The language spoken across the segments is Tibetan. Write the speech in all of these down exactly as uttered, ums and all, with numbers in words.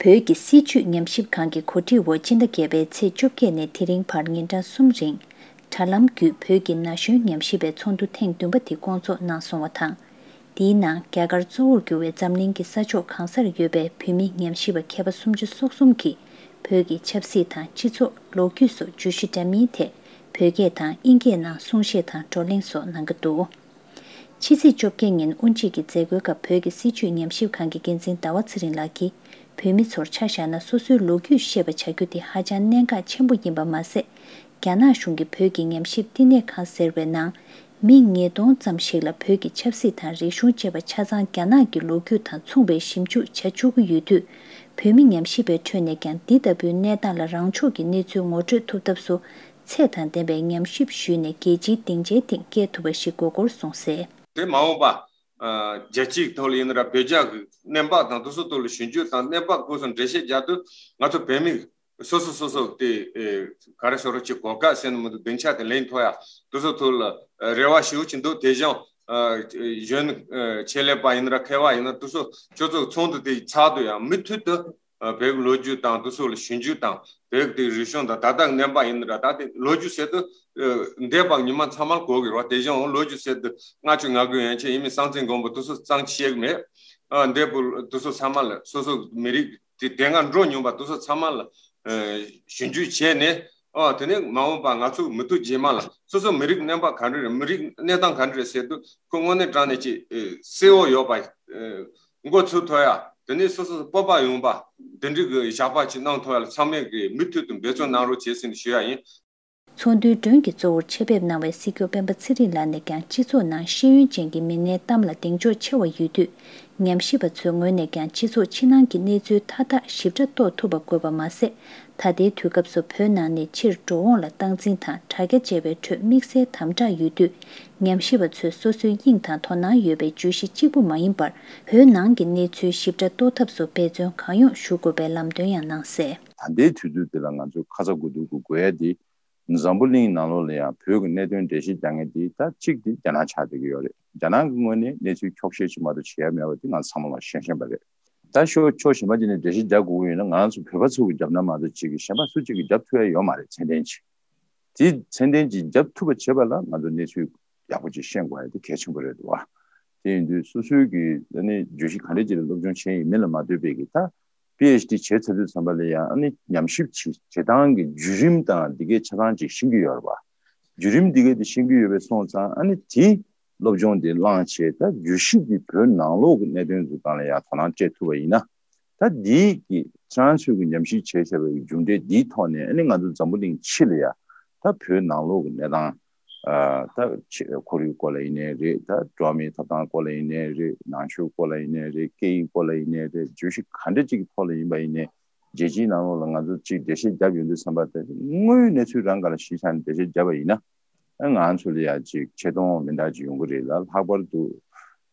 བོད་ཀྱི་སྲིད་བྱུས་ཉམས་ཞིབ་ཁང་གི་གོ་སྒྲིག་འོག་སྤྱི་ཟླ་བརྒྱད་པའི་ཚེས་བཅོ་བརྒྱད་ནས་དེ་རིང་བར་ཉིན་གྲངས་གསུམ་རིང་། དྲ་ལམ་བརྒྱུད་བོད་ཀྱི་ན་གཞོན་ཉམས་ཞིབ་པའི་ཚོགས་འདུ་ཐེངས་བདུན་པ་དེ་བསྐོང་ཚོགས་གནང་སོང་བ་དང་། དེའི་ནང་རྒྱ་གར་གཙོ་བོར་གྱུར་བའི་འཛམ་གླིང་གི་ས་ཕྱོགས་གང་སར་ཡོད་པའི་བོད་མི་ཉམས་ཞིབ་པ་མཁས་པ་སུམ་ཅུ་སོ་གསུམ་གྱིས་བོད་ཀྱི་ཆབ་སྲིད་དང་སྤྱི་ཚོགས། ལོ་རྒྱུས་སོགས་བརྗོད་གཞི་འདྲ་མིན་ཐད་བོད་སྐད་དང་དབྱིན་སྐད་ནང་གསུང་བཤད་དང་བགྲོ་གླེང་སོགས་གནང་གི་འདུག་ཕྱི་ཚེས་བཅོ་བརྒྱད་ཉིན་དབུ་འབྱེད་ཀྱི་མཛད་སྒོའི་སྐབས་བོད་ཀྱི་སྲིད་བྱུས་ཉམས་ཞིབ་ཁང་གི་འགན་འཛིན་ཟླ་བ་ཚེ་རིང་ལགས་ཀྱིས། བོད་མི་ཚོར་ཆ་བཞག་ན་སོ་སོའི་ལོ་རྒྱུས་ཤེས་པ་བྱ་རྒྱུ་དེ་ཧ་ཅང་གནད་འགག་ཆེན་པོ་ཡིན་པ་མ་ཟད། རྒྱ་ནག་གཞུང་གིས་བོད་ཀྱི་ཉམས་ཞིབ་བསྟི་གནས་ཁང་ཟེར་བའི་ནང་། མི་ཉིས་སྟོང་ཙམ་ཞིག་ལ་བོད་ཀྱི་ཆབ་སྲིད་དང་རིག་གཞུང་བཅས་པ་ཆ་ཚང་རྒྱ་ནག་གི་ལོ་རྒྱུས་དང་མཚུངས་པའི་ཞིབ་འཇུག་བྱ་བཅུག་གི་ཡོད་དུས། བོད་མི་ཉམས་ཞིབ་པའི་ཁྲོད་ནས་ཀྱང་འདི་ལྟ་བུའི་གནས་སྟངས་ལ་རང་ཕྱོགས་ཀྱི་གནས་ཚུལ་ངོ་སྤྲོད་ཐུབ་ཐབས་སུ། ཚད་དང་ལྡན་པའི་ཉམས་ཞིབ་ཞུས་ནས་རྒྱལ་སྤྱིའི་སྡིངས་ཆའི་སྟེང་བསྐྱལ་ཐུབ་པ་ཞིག་དགོས་སྐོར་གསུངས་གསལ། དེ་མ་འོངས་པ། ཨ། རྒྱལ་སྤྱིའི་ཐོག་ལ་ཡིན་ན་ར་བོད་རྒྱ་གི་གནས་བབ་དང་དེ་ཚོ་ཐོག་ལ་ཞིབ་འཇུག་དང་གནས་བབ་སྐོར་སོགས་འགྲེལ་བཤད་རྒྱག་དུས་ང་ཚོ་བོད་མི་སོ་སོ་སོ་སོ་དེ་ཨེ་ག་རེ་ཟེར་རོ་ཅིག་གོ་སྐབས་ཟེར་ན་མི་འདུག་སྡིངས་ཆ་དེ་ལེན་ཐུབ་ཡ་དེ་ཚོ་ཐོག་ལ་ཨ་རེ་བ་ཞེ་པོ་ཅིག་འདུག་དེ་བཞིན་ཨ་གཞོན་ནུ་ཨ་ཆེད་ལས་པ་ཡིན་ན་ར་མཁས་པ་ཡིན་ན་དེ་ཚོ་ཁྱོད་ཚོ་ཚོགས་འདུ་དེ་ཚགས་དུས་ཡང་མུ་མཐུད་དུ། ཨ་བོད་ཀྱི་ལོ་རྒྱུས་དང་དེ་ཚོ་ལ་ཞིབ་འཇུག་དང་བོད་ཀྱི་དེ་རིག་གཞུང་དང་ད་ལྟ་གནས་བབ་ཡིན་ན་ར་ད་དེ་ལོ་རྒྱུས་ཟེར་དུས་ཨ་འདས་པ་ཉི་མ་ཚང་མར་གོ་གི་རེད་བ། དེ་བཞིན་ལོ་རྒྱུས་ཟེར་དུས་ལྔ་བཅུ་ང་དགུ་ཡན་ཆད་ཡིན་མིན་སྲོང་བཙན་སྒམ་པོ་དེ་ཚོ་གཙང་ཆེ་གི་མེད། ཨ་འདས་པོ་དེ་ཚོ་ཚང་མ་ལ་སོ་སོ་མི་རིགས་དེ་དེ་སྔ་འགྲོ་མྱོང་བ་དེ་ཚོ་ཚང་མ་ལ་ཨ་ཞིབ་འཇུག་བྱས་ནས། ཨ་དེ་ནས་མ་འོངས་པ་ང་ཚོ་མི་ཐུབ་རྗེས་མ་ལ་སོ་སོ་མི་རིགས་གནས་བབ་ག་འདྲ་རེད། མི་རིགས་གནས་སྟངས་ག་འདྲ་རེད་ཟེར་དུས་ཁོ་དངོས་གནས་དྲང་གནས་ཀྱི་ཨེ་གསལ་བོ་ཡོད་པ། ཨེ་མགོ་ཚོས་ཐུབ་ཡ། དེ་ནས་སོ་སོ་སྤོབས་པ་ཡོང་བ། དེ་འདྲའི་གི་བཞག་པ་ཅིག་གནང་ཐུབ་ཡ་ལ་ཚང་མས་གི་མུ་མཐུད་དུ་འབད་བརྩོན་གནང་རོགས་བྱེད་ཟེར་ནས་ཞུ་ཡ་ཡིན། ཚོགས་འདུའི་མགྲོན་གྱི་གཙོ་བོར་ཆེད་ཕེབས་གནང་བའི་སྲིད་སྐྱོང་སྤེན་པ་ཚེ་རིང་ལགས་ནས་ཀྱང་སྤྱི་ཚོགས་ནང་ཤེས་ཡོན་ཅན་གྱི་མི་སྣའི་གཏམ་ལ་གདེང་འཇོག་ཆེ་བ་ཡོད་དུས། ཉམས་ཞིབ་པ་ཚོའི་ངོས་ནས་ཀྱང་སྤྱི་ཚོགས་ཕྱི་ནང་གི་གནས་ཚུལ་མཐའ་དག་ཞིབ་ཕྲ་རྟོགས་ཐུབ་པ་དགོས་པ་མ་ཟད། ད་ལྟའི་དུས་སྐབས་སུ་བོད་ནང་ནས་ཕྱིར་འགྲོ་འོང་ལ་སྟངས་འཛིན་དང་དྲ་རྒྱ་བཅས་པའི་ཁྲོད་དམིགས་བསལ་དམ་དྲག་ཡོད་དུས། ཉམས་ཞིབ་པ་ཚོས་སོ་སོའི་དབྱིངས་དང་དོ་སྣང་ཡོད་པའི་བརྗོད་གཞི་གཅིག་པུ་མ་ཡིན་པར། བོད་ནང་གི་གནས་ཚུལ་ཞིབ་ཕྲ་རྟོགས་ཐབས་སུ་འབད་བརྩོན་གང་ཡོང་ཞུ་དགོས་པའི་ལམ་སྟོན་ཡང་གནང་གསལ། ད་ལྟའི་དུས་ཚོད་འདི་ལ་ང་ཚོ་ཁ་ཚ་དགོས་གཏུག་གི་དགོས་ཡ་དེ། འཛམ་བུ་གླིང་ནང་ལོགས་ལ་ཡང་བོད་ཀྱི་གནད་དོན་འགྲེལ་བཤད་རྒྱག་མཁན་དེ་ད་གཅིག་དེ་རྒྱ་ནག་ཆགས་བསྡད་ཀྱི་ཡོད་རེད། རྒྱ་ནག་གི་ངོས་ནས་གནས་ཚུལ་འཁྱོག་བཤད་ཅིག་མ་གཏོགས་བྱེད་ཡ་མེད་པ་དེ་ང་ཚང་མ་ལ་ཤེས་བཞིན་པ་རེད། ད་ཕྱོགས་ཕྱོགས་གཞན་པ་ཅིག་ནས་འགྲེལ་བཤད་རྒྱག་དགོས་ཡོད་ན་ང་རང་ཚོ་བོད་པ་ཚོ་གི་རྒྱབ་ན་མ་གཏོགས་ཅིག་གི་གཞན་པ་སུ་གཅིག་གིས་རྒྱབ་ཐུབ་ཡ་ཡོད་མ་རེད། ཚད་ལྡན་ཅིག་དེ་ཚད་ལྡན་ཅིག་རྒྱབ་ཐུབ་པ་བྱེད་པ་ལ་ང་ཚོ་གནས་ཚུལ་ཡག་པོ་ཅིག་ཤེས་དགོས་ཡ་དེ་གལ་ཆེན་པོ་རེད་འདུག་བ། དེ་ཡིན་དུས་སོ་སོའི་གི་ཨ་ནི་བརྗོད་གཞི་ག་འདྲ་ཅིག་ལ་སློབ་སྦྱོང་བྱས་ཡིན་མིན་ལ་མ་ལྟོས་པའི་གི་ད། པི་ཨེཆ་ཌི་བྱས་ཚར་དུས་ཙམ་པ་ལ་ཡང་ཨ་ནི་ཉམས་ཞིབ་བྱེད་བྱེད་སྟངས་ཀྱི་བརྒྱུད་རིམ་དང་འདི་གའི་ཆ་ཚང་ཅིག་ཤེས་ཀྱི་ཡོད་རེད་བ། བརྒྱུད་རིམ་འདི་གའི་དེ་ཤེས་ཀྱི་ཡོད་པའི་སོང་ཙང་ཨ་ནི་དེ་སློབ་སྦྱོང་དེ་བླངས་བྱས་ད་བརྗོད་གཞི་འདི་བོད་ནང་ལོགས་ཀྱི་གནད་དོན་ཚོ་སྟེང་ལ་ཡང་དོ་སྣང་སྤྲད་ཐུབ་པ་ཡིན་ན། ད་འདིའི་གི་ཁྱེད་རང་ཚོས་ཀྱི་ཉམས་ཞིབ་བྱས་བྱས་པའི་མཇུག་འབྲས་འདིའི་ཐོག་ནས་ཨ་ནི་ང་ཚོ་འཛམ་བུ་གླིང་ཕྱི་ལ་ཡ་ད་བོད་ནང་ལོགས་ཀྱི་གནས་སྟངས། ཨ་ད་ཆེ་ཁོར་ཡུག་སྐོར་ལ་ཡིན་ནའི་རེད། ད་འགྲོ་བ་མིའི་ཐོབ་ཐང་སྐོར་ལ་ཡིན་ནའི་རེད། ནང་ཆོས་སྐོར་ལ་ཡིན་ནའི་རེད། སྐད་ཡིག་སྐོར་ལ་ཡིན་ནའི་རེད། བརྗོད་གཞི་ག་འདྲ་ཅིག་གི་ཐོག་ལ་ཡིན་པ་ཡིན་ནའི་རྒྱལ་སྤྱིའི་ནང་ལོགས་ལ་ང་ཚོ་ཅིག་འགྲེལ་བཤད་བརྒྱབ་ཡོང་དུས་ཙམ་པ་དེ་དངོས་ཡོད་གནས་ཚུལ་རང་སྒང་ལ་གཞི་བཞག་ནས་འགྲེལ་བཤད་བརྒྱབ་པ་ཡིན་ན། ཨ་ང་ཚོ་ལ་ཡ་ཅིག་ཆེ་མཐོང་མི་འདྲ་ཅིག་ཡོང་གི་རེད་ལ། ལྷག་པར་དུ་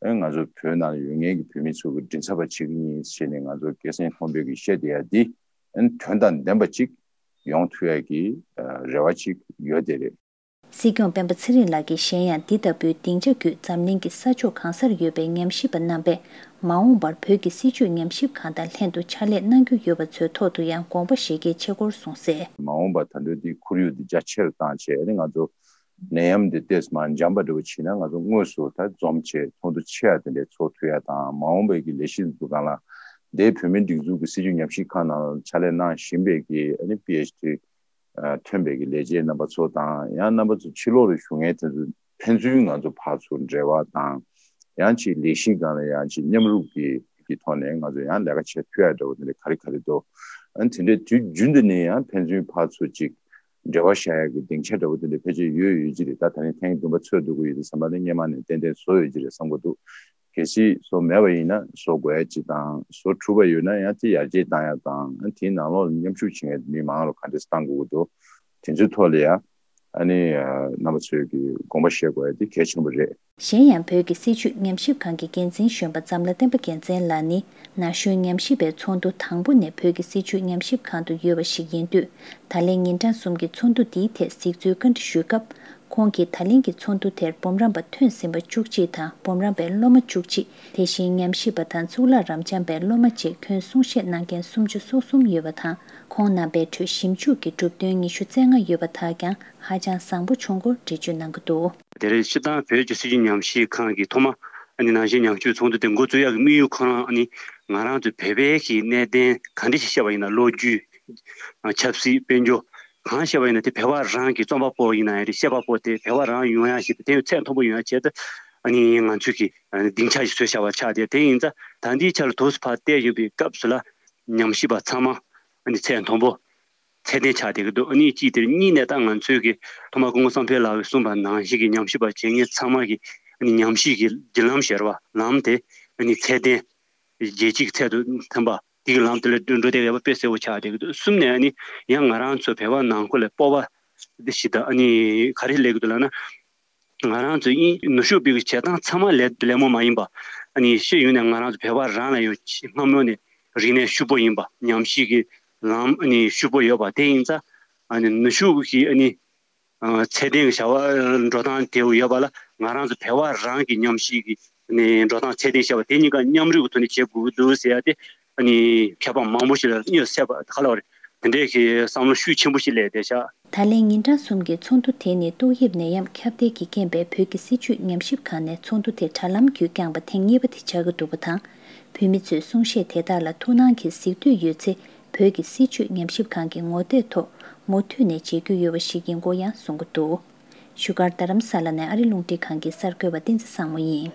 ཨ་ང་ཚོ་བོད་ནང་ལ་ཡོད་མཁན་གྱི་བོད་མི་ཚོ་གི་མགྲིན་ཚབ་པ་བྱེད་ཀྱི་ཡིན་ཞེས་ནས་ང་ཚོ་སྐད་སེང་མཐོན་པོའི་གི་བཤད་བསྡད་ཡ་འདི་ཨ་དོན་དང་ལྡན་པ་ཅིག་ཡོང་ཐུབ་ཡ་གི་ཨ་རེ་བ་ཅིག་ཡོད་དེ་རེད། སྲིད་སྐྱོང་སྤེན་པ་ཚེ་རིང་ལགས་ཀྱིས་གཞན་ཡང་འདི་ལྟ་བུའི་སྡིངས་ཆ་བརྒྱུད་འཛམ་གླིང་གི་ས་ཕྱོགས་གང་སར་ཡོད་པའི་ཉམས་ཞིབ་པ་རྣམ་པས་མ་འོངས་པར་བོད་ཀྱི་སྲིད་བྱུས་ཉམས་ཞིབ་ཁང་དང་ལྷན་དུ་ཕྱག་ལས་གནང་རྒྱུ་ཡོད་པ་ཚོའི་ཐོག་ཏུ་ཡང་དགོངས་པ་བཞེས་གལ་ཆེ་སྐོར་གསུངས་གསལ། མ་འོངས་པ་ད་དུང་འདི་ཁོར་ཡུག་འདི་རྒྱ་ཆེར་བཏང་བྱས་ཨ་ནི་ང་ཚོ་ནད་ཡམས་འདི་ཏོག་ཙམ་འཇམ་པ་འདྲ་བོ་བྱས་ན་ང་ཚོ་དངོས་སུ་ད་འཛོམས་བྱས་ཚོགས་འདུ་ཆེ་བ་དེ་འདྲས་ཚོགས་ཐུབ་ཡ་དང་། མ་འོངས་པའི་གི་ལས་གཞི་འཛུགས་སྟངས་ལ་འདས་བོད་མིའི་སྒྲིག་འཛུགས་ཀྱི་སྲིད་བྱུས་ཉམས་ཞིབ་ཁང་ནང་ཕྱག་ལས་གནང་བཞིན་པའི་གི་ཨ་ནི་པི་ཨེཆ་ཌི། ཨ་ཐོན་པའི་གི་ལས་བྱེད་རྣམ་པ་ཚོ་དང་། ཡང་རྣམ་པ་ཚོ་ཕྱི་ལོགས་ལ་བཞུགས་མཁན་དེ་ཚོ་ཕན་ཚུན་ང་ཚོ་ཕར་ཚུར་འབྲེལ་བ་དང་། ཡང་ཅིག་ལས་གཞི་སྒང་ལ་ཡང་ཅིག་མཉམ་རུབ་ཀྱི་གི་ཐོག་ནས་ང་ཚོ་ཡང་ལས་ཀ་བྱེད་ཐུབ་ཡ་འདྲ་བོ་དེ་འདྲ་ག་རེ་ག་རེ་འདུག་ཨ་དེ་འདྲའི་དུས་རྒྱུན་དུ་ནས་ཡང་ཕན་ཚུན་ཕར་ཚུར་ཅིག་འབྲེལ་བ་བཞག་ཡ་གི་སྡིངས་ཆ་འདྲ་བོ་དེ་འདྲ་ཕལ་ཆེར་ཡོད་ཡོད་ཀྱི་རེད། ད་ད་ནི་ཐེངས་བདུན་པ་ཚོགས་འདུ་གི་ཡོད་དུས་ཙམ་པ་ནི་སྔོན་མ་ནས་ཏན་ཏན་བཟོ་ཡོད་ཀྱི་རེད་བསམ་གྱི་འདུག་གལ་སྲིད་བཟོ་མེད་པ་ཡིན་ན་བཟོ་དགོས་ཡ་ཅིག་དང་། བཟོ་གྲུབ་པ་ཡོད་ན་ཡང་དེ་ཡར་རྒྱས་བཏང་ཡ་དང་། དེའི་ནང་ལོགས་ལ་མཉམ་ཞུགས་བྱེད་མཁན་མི་མང་ལ་ག་འདྲས་བཏང་དགོས་ཀྱི་འདུག་དེ་ཚོའི་ཐོག་ལ་ཡ་ཨ་ནི་རྣམ་པ་ཚོས་ཀྱི་དགོངས་པ་བཞེས་དགོས་ཡ་དེ་གལ་ཆེན་པོ་རེད། གཞན་ཡང་བོད་ཀྱི་སྲིད་བྱུས་ཉམས་ཞིབ་ཁང་གི་འགན་འཛིན་གཞོན་པ་འཛམ་ལྷ་བསྟན་པ་རྒྱལ་མཚན་ལགས་ནི་ན་གཞོན་ཉམས་ཞིབ་པའི་ཚོགས་འདུ་དང་པོ་ནས་བོད་ཀྱི་སྲིད་བྱུས་ཉམས་ཞིབ་ཁང་དུ་ཡོད་པ་ཞིག་ཡིན་དུས། ད་ལན་ཉིན་གྲངས་གསུམ་གྱི་ཚོགས་འདུ་འདིའི་ཐད་གཟིགས་ཚུལ་བཀའ་འདྲི་ཞུས་སྐབས། ཁོང་གིས་ད་ལན་གྱི་ཚོགས་འདུ་དེར་འབུམ་རམས་པ་ཐོན་ཟིན་པ་བཅུ་གཅིག་དང་འབུམ་རམས་པའི་སློབ་མ་བཅུ་གཅིག་དེ་བཞིན་ཉམས་ཞིབ་པ་དང་གཙུག་ལག་རབ་འབྱམས་པའི་སློབ་མ་བཅས་ཁྱོན་གསུང་བཤད་གནང་མཁན་སུམ་ཅུ་སོ་གསུམ་ཡོད་པ་དང་། ཁོང་རྣམ་པའི་ཁྲོད་ཞིབ་འཇུག་གི་གྲུབ་དོན་ཉི་ཤུ་རྩ་ལྔ་ཡོད་པ་དག་ཀྱང་ཧ་ཅང་བཟང་པོ་བྱུང་སྐོར་འགྲེལ་བརྗོད་གནང་གི་འདུག། དེ་རིང་སྤྱིར་བཏང་བོད་ཀྱི་སྲིད་བྱུས་ཉམས་ཞིབ་ཁང་གིས་ཐོག་མ་ཨ་ནི་ནང་བཞིན་ཉམས་ཞིབ་ཚོགས་འདུ་དེ་འགོ་བཙུགས་ཡག་གི་དམིགས་ཡུལ་ཁོ་རང་ཨ་ནི་ང་རང་ཚོའི་བོད་པའི་གི་གནད་དོན་ག་འདྲ་ཞིག་བཤད་པ་ཡིན་ན། ལོ་རྒྱུས། ཆབ་སྲིད། དཔལ་འབྱོར། གང་བཤད་པ་ཡིན་ན་དེ་བོད་པ་རང་གི་རྩོམ་པ་པོ་ཡིན་ན་ཡང་རེད། བཤད་པ་པོ་དེ་བོད་པ་རང་ཡོང་ཡག་ཞིག་དང་དེ་ཚད་མཐོན་པོ་ཡོང་ཡག་ཆེད་དུ་ཨ་ནི་ང་ཚོས་ཀྱི་ཨ་ནི་སྡིངས་ཆ་ཞིག་བཟོས་བཞག་པ་ཆགས་ཏེ། དེ་ཡིན་ཙང་ད་ལྟའི་ཆར་ལ་དུས་སུ་ཕར་བལྟས་ཡོང་པའི་སྐབས་སུ་ལ་ཉམས་ཞིབ་པ་ཚང་མ་ཨ་ནི་ཚད་མཐོན་པོ་ཚད་ལྡན་ཆགས་བསྡད་ཀྱི་འདུག། ཨ་ནི་གཅིག་དེར། གཉིས་ནས་ད་ང་ཚོས་ཀྱི་ཐོག་མ་སྐུ་ངོ་བསམ་འཕེལ་ལགས་ཀྱིས་གསུངས་པ་ནང་བཞིན་གྱི་ཉམས་ཞིབ་པ་བྱེད་མཁན་ཚང་མ་གི་ཨ་ནི་ཉམས་ཞིབ་ཀྱི་བརྒྱུད་ལམ་ཟེར་བ་ལམ་དེ་ཨ་ནི་ཚད་ལྡན། རྒྱལ་སྤྱིའི་ཚད་དུ་ཐོན་པ་དེ་གི་ལམ་དེ་ལ་འགྲོ་བསྡད་ཡོད་པ་དཔེ་གསལ་པོ་ཆགས་བསྡད་ཀྱི་འདུག། གསུམ་ནས་ཨ་ནི་ཡང་ང་རང་ཚོ་བོད་པ་ནང་ཁུལ་ལ་སྤོབས་པ་འདི་ཞིག་དང་། ཨ་ནི་ག་རེ་སླེབས་ཀྱི་འདུག་ལབ་ན། ང་རང་ཚོ་ཨིན་ནུབ་ཕྱོགས་པའི་བྱེད་སྟངས་ཚང་མ་ལས་ལད་མོ་མ་ཡིན་པ། ཨ་ནི་ཤེས་ཡོན་ནས་ང་རང་ཚོ་བོད་པ་རང་ལ་ཡང་སྔ་མོ་ནས་རིག་གནས་ཕྱུག་པོ་ཡིན་པ། ཉམས་ཞིབ་ཀྱི་ལམ་ཨ་ནི་ཕྱུག་པོ་ཡོད་པ་དེ་ཡིན་ཙང་། ཨ་ནི་ནུབ་ཕྱོགས་ཀྱི་ཨ་ནི་ཨ་ཚད་ལྡན་གྱི་བྱ་བ་འགྲོ་སྟངས་དེ་ཡོད་པ་ལ་ང་རང་ཚོ་བོད་པ་རང་གི་ཉམས་ཞིབ་ཀྱི་ནས་འགྲོ་སྟངས་ཚད་ལྡན་བྱ་བ་དེ་གཉིས་ཀ་མཉམ་རུབ་ཀྱི་ཐོག་ནས་བྱེད་དགོས་ཀྱི་འདུག་ཟེར་ཡ་དེ་ཨ་ནི་མཁས་པ་མང་པོ་ཞིག་ལ་སྙོད་སད་པ་ག་ལ་བ་རེད། དེ་འདྲའི་གི་བསམ་བློ་ཤུགས་ཆེན་པོ་ཞིག་སླེབས་བསྡད་ཤག། ད་ལན་ཉིན་གྲངས་གསུམ་གྱི་ཚོགས་འདུ་དེ་ནི་ཏོག་དབྱིབས་ནད་ཡམས་ཁྱབ་གདལ་གྱི་རྐྱེན་པས་བོད་ཀྱི་སྲིད་བྱུས་ཉམས་ཞིབ་ཁང་ནས་ཚོགས་འདུ་དེ་དྲ་ལམ་བརྒྱུད་བསྐྱངས་པ་ཐེངས་གཉིས་པ་དེ་ཆགས་ཀྱི་འདུག་པ་དང་། བོད་མི་ཚོས་གསུང་བཤད་དེ་དག་ལ་ཐུགས་སྣང་གིས་གཟིགས་འདོད་ཡོད་ཚེ། བོད་ཀྱི་སྲིད་བྱུས་ཉམས་ཞིབ་ཁང་གི་ངོ་དེབ་ཐོག་མུ་མཐུད་ནས་མཇལ་རྒྱུ་ཡོད་པ་ཞིག་ཡིན་སྐོར་ཡང་གསུང་གི་འདུག། བཞུགས་སྒར་རྡ་རམ་ས་ལ་ནས་ཨ་རི་རླུང་འཕྲིན་ཁང་གི་གསར་འགོད་པ་བསྟན་འཛིན་བཟང་མོ་ཡིན།